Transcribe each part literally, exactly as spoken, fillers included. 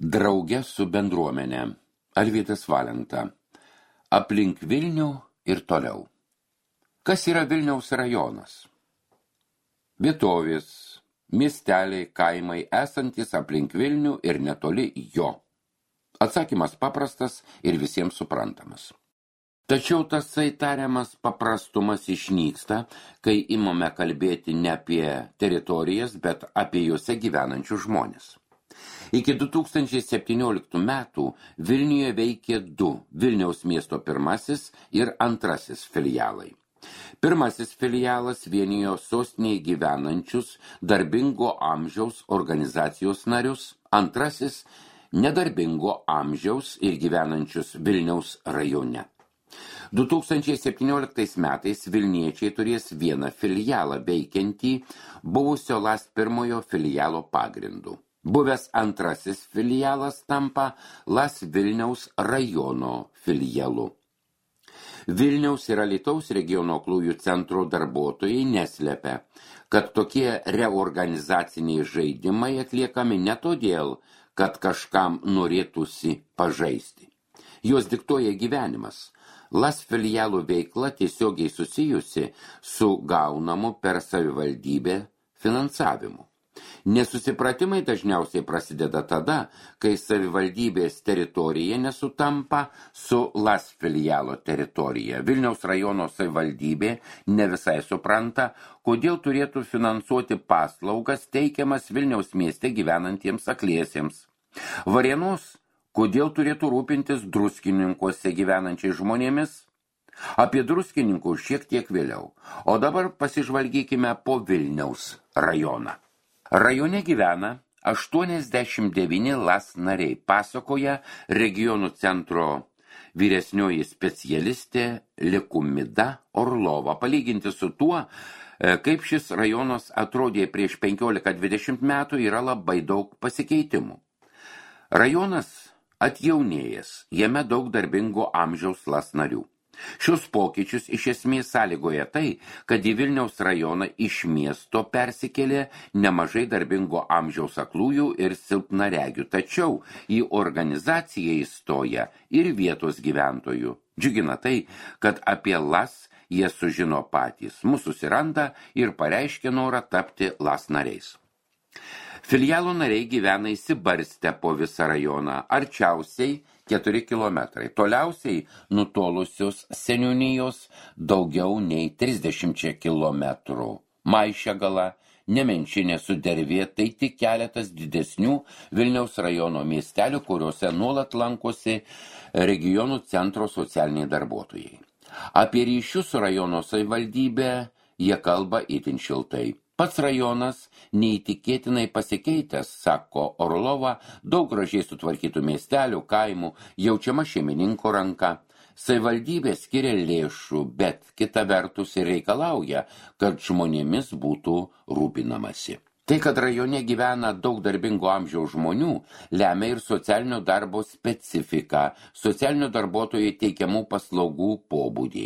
Drauge su bendruomenė. Alvydas Valenta. Aplink Vilnių ir toliau. Kas yra Vilniaus rajonas? Vietovės, miesteliai, kaimai esantis aplink Vilnių ir netoli jo. Atsakymas paprastas ir visiems suprantamas. Tačiau tasai tariamas paprastumas išnyksta, kai imame kalbėti ne apie teritorijas, bet apie juose gyvenančius žmonės. Iki du tūkstančiai septynioliktų metų Vilniuje veikė du Vilniaus miesto pirmasis ir antrasis filialai. Pirmasis filialas vienijo sostinėje gyvenančius darbingo amžiaus organizacijos narius, antrasis nedarbingo amžiaus ir gyvenančius Vilniaus rajone. du tūkstančiai septynioliktais metais Vilniečiai turės vieną filialą veikiantį buvusio LAS pirmojo filialo pagrindu. Buvęs antrasis filialas tampa LAS Vilniaus rajono filialu. Vilniaus ir Alytaus regiono aklųjų centro darbuotojai neslepia, kad tokie reorganizaciniai žaidimai atliekami ne todėl, kad kažkam norėtųsi pažaisti. Jos diktuoja gyvenimas. LAS filialų veikla tiesiogiai susijusi su gaunamu per savivaldybę finansavimu. Nesusipratimai dažniausiai prasideda tada, kai savivaldybės teritorija nesutampa su LAS filialo teritorija. Vilniaus rajono savivaldybė ne visai supranta, kodėl turėtų finansuoti paslaugas teikiamas Vilniaus mieste gyvenantiems akliesiems. Varėnos, kodėl turėtų rūpintis Druskininkuose gyvenančiais žmonėmis? Apie Druskininkus šiek tiek vėliau, o dabar pasižvalgykime po Vilniaus rajoną. Rajone gyvena aštuoniasdešimt devyni LAS nariai, pasakoja regionų centro vyresnioji specialistė Likumida Orlova, palyginti su tuo, kaip šis rajonas atrodė prieš penkiolika dvidešimt metų, yra labai daug pasikeitimų. Rajonas atjaunėjęs, jame daug darbingo amžiaus LAS narių. Šios pokyčius iš esmės sąlygoja tai, kad į Vilniaus rajoną iš miesto persikėlė nemažai darbingo amžiaus aklųjų ir silpnaregių, tačiau į organizaciją įstoja ir vietos gyventojų. Džiugina tai, kad apie LAS jie sužino patys, mus susiranda ir pareiškia norą tapti LAS nariais. Filialo nariai gyvena įsibarstę po visą rajoną, arčiausiai keturi kilometrai, toliausiai nutolusios seniūnijos daugiau nei trisdešimt kilometrų. Maišiagala, Nemenčinė, Sudervė, tai tik keletas didesnių Vilniaus rajono miestelių, kuriuose nuolat lankosi regionų centro socialiniai darbuotojai. Apie ryšius su rajono savivaldybė jie kalba itin šiltai. Pats rajonas neįtikėtinai pasikeitęs, sako Orlova, daug gražiai sutvarkytų miestelių, kaimų, jaučiama šeimininko ranka. Savivaldybė skiria lėšų, bet kita vertus ir reikalauja, kad žmonėmis būtų rūpinamasi. Tai, kad rajone gyvena daug darbingo amžiaus žmonių, lemia ir socialinio darbo specifiką, socialinio darbuotojų teikiamų paslaugų pobūdį.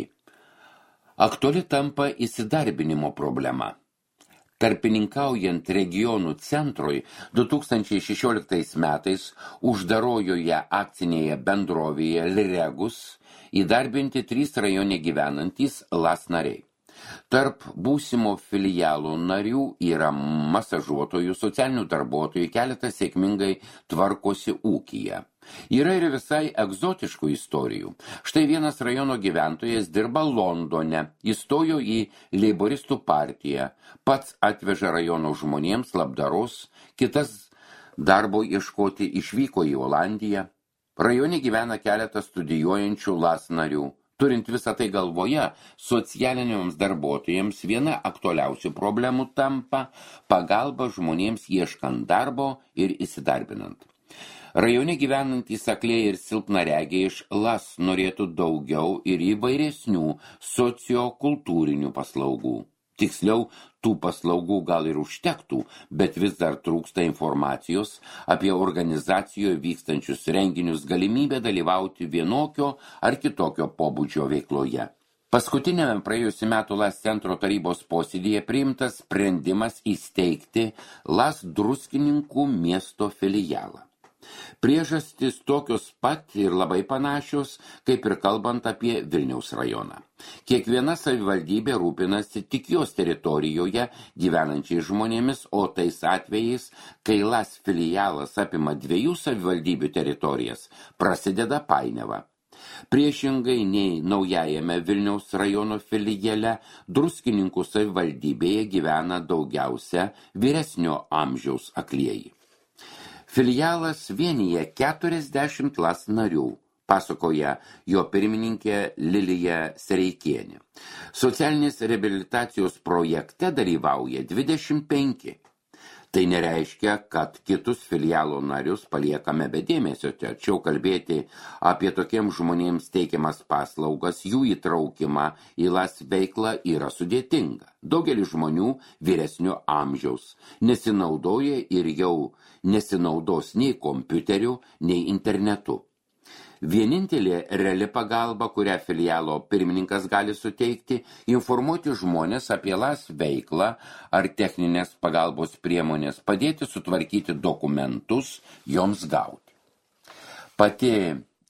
Aktuali tampa įsidarbinimo problema. Tarpininkaujant regionų centrui, du tūkstančiai šešioliktais metais uždarojoje akcinėje bendrovėje Liregus įdarbinti trys rajone gyvenantys LAS nariai. Tarp būsimo filialų narių yra masažuotojų, socialinių darbuotojų, keletas sėkmingai tvarkosi ūkyje. Yra ir visai egzotiškų istorijų. Štai vienas rajono gyventojas dirba Londone, įstojo į leiboristų partiją, pats atveža rajono žmonėms labdaros, kitas darbo ieškoti išvyko į Olandiją. Rajone gyvena keletas studijuojančių LAS narių. Turint visą tai galvoje, socialiniams darbuotojams viena aktualiausių problemų tampa pagalba žmonėms ieškant darbo ir įsidarbinant. Rajone gyvenantys akliai ir silpnaregiai iš LAS norėtų daugiau ir įvairesnių sociokultūrinių paslaugų. Tiksliau, tų paslaugų gal ir užtektų, bet vis dar trūksta informacijos apie organizacijoje vykstančius renginius, galimybę dalyvauti vienokio ar kitokio pobūdžio veikloje. Paskutinėme praėjusių metų LAS centro tarybos posėdyje priimtas sprendimas įsteigti LAS Druskininkų miesto filialą. Priežastys tokios pat ir labai panašios, kaip ir kalbant apie Vilniaus rajoną. Kiekviena savivaldybė rūpinasi tik jos teritorijoje gyvenančiais žmonėmis, o tais atvejais, kai LAS filialas apima dviejų savivaldybių teritorijas, prasideda painiava. Priešingai nei naujajame Vilniaus rajono filiale, Druskininkų savivaldybėje gyvena daugiausia vyresnio amžiaus aklieji. Filialas vienyje keturiasdešimt LAS narių, pasakoja jo pirmininkė Lilija Sereikienė. Socialinės reabilitacijos projekte dalyvauja dvidešimt penki. Tai nereiškia, kad kitus filialo narius paliekame be dėmesio, tačiau kalbėti apie tokiems žmonėms teikiamas paslaugas, jų įtraukimą į LAS veiklą yra sudėtinga. Daugelis žmonių vyresnio amžiaus nesinaudoja ir jau nesinaudos nei kompiuteriu, nei internetu. Vienintelė reali pagalba, kurią filialo pirmininkas gali suteikti, informuoti žmonės apie LAS veiklą ar techninės pagalbos priemonės, padėti sutvarkyti dokumentus, joms gauti. Pati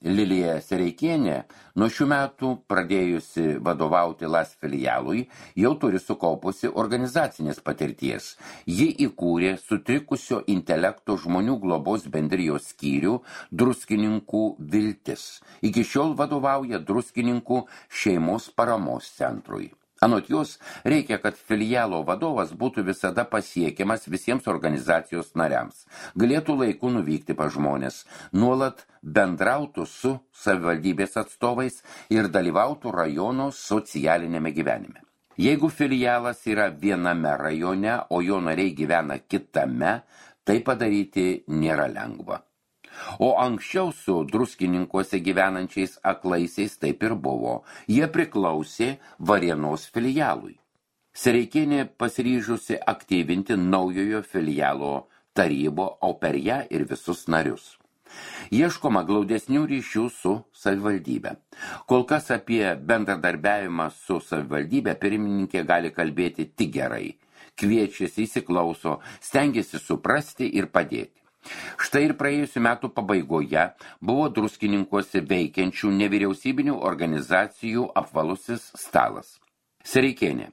Lilija Sereikienė nuo šių metų pradėjusi vadovauti LAS filialui jau turi sukaupusi organizacinės patirties. Ji įkūrė sutrikusio intelekto žmonių globos bendrijos skyrių Druskininkų Viltis. Iki šiol vadovauja Druskininkų šeimos paramos centrui. Anot jos, reikia, kad filialo vadovas būtų visada pasiekiamas visiems organizacijos nariams, galėtų laiku nuvykti pas žmonės, nuolat bendrautų su savivaldybės atstovais ir dalyvautų rajono socialinėme gyvenime. Jeigu filialas yra viename rajone, o jo nariai gyvena kitame, tai padaryti nėra lengva. O anksčiau su Druskininkuose gyvenančiais aklaisiais taip ir buvo. Jie priklausė Varėnos filialui. Sereikienė pasiryžusi aktyvinti naujojo filialo tarybą, o per ją ir visus narius. Ieškoma glaudesnių ryšių su savivaldybė. Kol kas apie bendradarbiavimą su savivaldybė pirmininkė gali kalbėti tik gerai. Kviečiasi, įsiklauso, stengiasi suprasti ir padėti. Štai ir praėjusių metų pabaigoje buvo Druskininkuose veikiančių nevyriausybinių organizacijų apvalusis stalas. Sereikienė.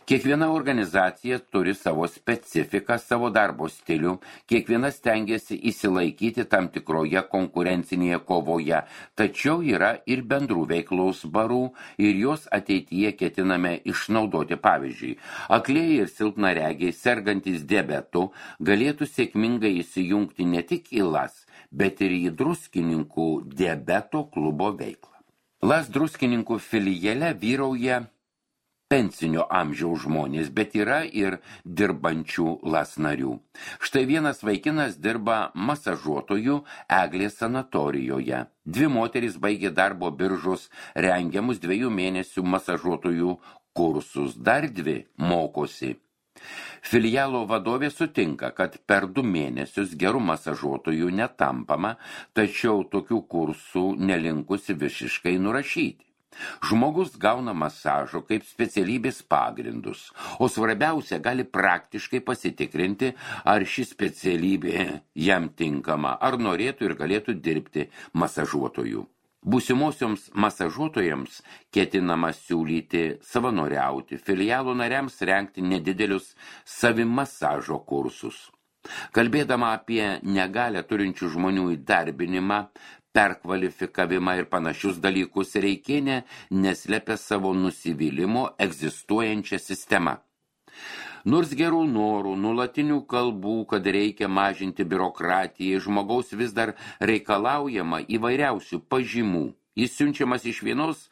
Kiekviena organizacija turi savo specifiką, savo darbo stilių, kiekviena stengiasi įsilaikyti tam tikroje konkurencinėje kovoje, tačiau yra ir bendrų veiklos barų ir jos ateityje ketiname išnaudoti. Pavyzdžiui, aklieji ir silpnaregiai sergantys diabetu galėtų sėkmingai įsijungti ne tik į LAS, bet ir į Druskininkų diabeto klubo veiklą. LAS Druskininkų filiale vyrauja pensinio amžiaus žmonės, bet yra ir dirbančių LAS narių. Štai vienas vaikinas dirba masažuotojų Eglės sanatorijoje. Dvi moterys baigė darbo biržos rengiamus dviejų mėnesių masažuotojų kursus, dar dvi mokosi. Filialo vadovė sutinka, kad per du mėnesius gerų masažuotojų netampama, tačiau tokių kursų nelinkusi visiškai nurašyti. Žmogus gauna masažo kaip specialybės pagrindus, o svarbiausia gali praktiškai pasitikrinti, ar ši specialybė jam tinkama, ar norėtų ir galėtų dirbti masažuotojų. Būsimosioms masažuotojams ketinama siūlyti savanoriauti, filialo nariams rengti nedidelius savimasažo kursus. Kalbėdama apie negalią turinčių žmonių įdarbinimą, perkvalifikavimą ir panašius dalykus, Sereikienė neslepia savo nusivylimo egzistuojančią sistemą. Nors gerų norų, nulatinių kalbų, kad reikia mažinti biurokratiją, žmogaus vis dar reikalaujama įvairiausių pažymų. Jis siunčiamas iš vienos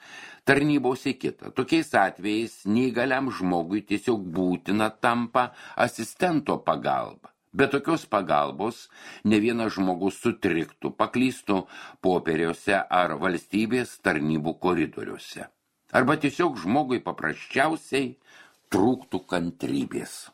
tarnybos į kitą. Tokiais atvejais neįgaliam žmogui tiesiog būtina tampa asistento pagalba. Be tokios pagalbos ne vienas žmogus sutriktų, paklystų popieriuose ar valstybės tarnybų koridoriuose. Arba tiesiog žmogui paprasčiausiai trūktų kantrybės.